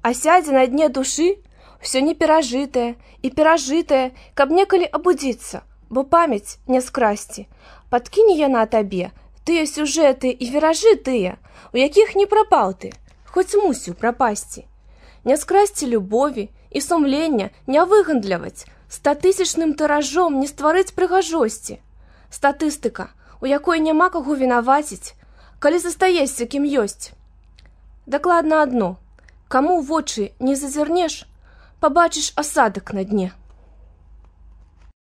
А сядзе на дне душы ўсё неперажытае і перажытае, каб некалі абудзіцца, бо памяць не скрасці. Падкіне яна табе тыя сюжэты і віражы тыя, у якіх не прапаў ты, хоць мусіў прапасці. Не скрасці любові і сумлення не выгандляваць, 100-тысячным тыражом не стварыць прыгажосці. Статыстыка, у якой няма каго вінаваціць, калі застаешся кім ёсць. Дакладна адно, каму ў вочы не зазірнеш, пабачыш асадак на дне.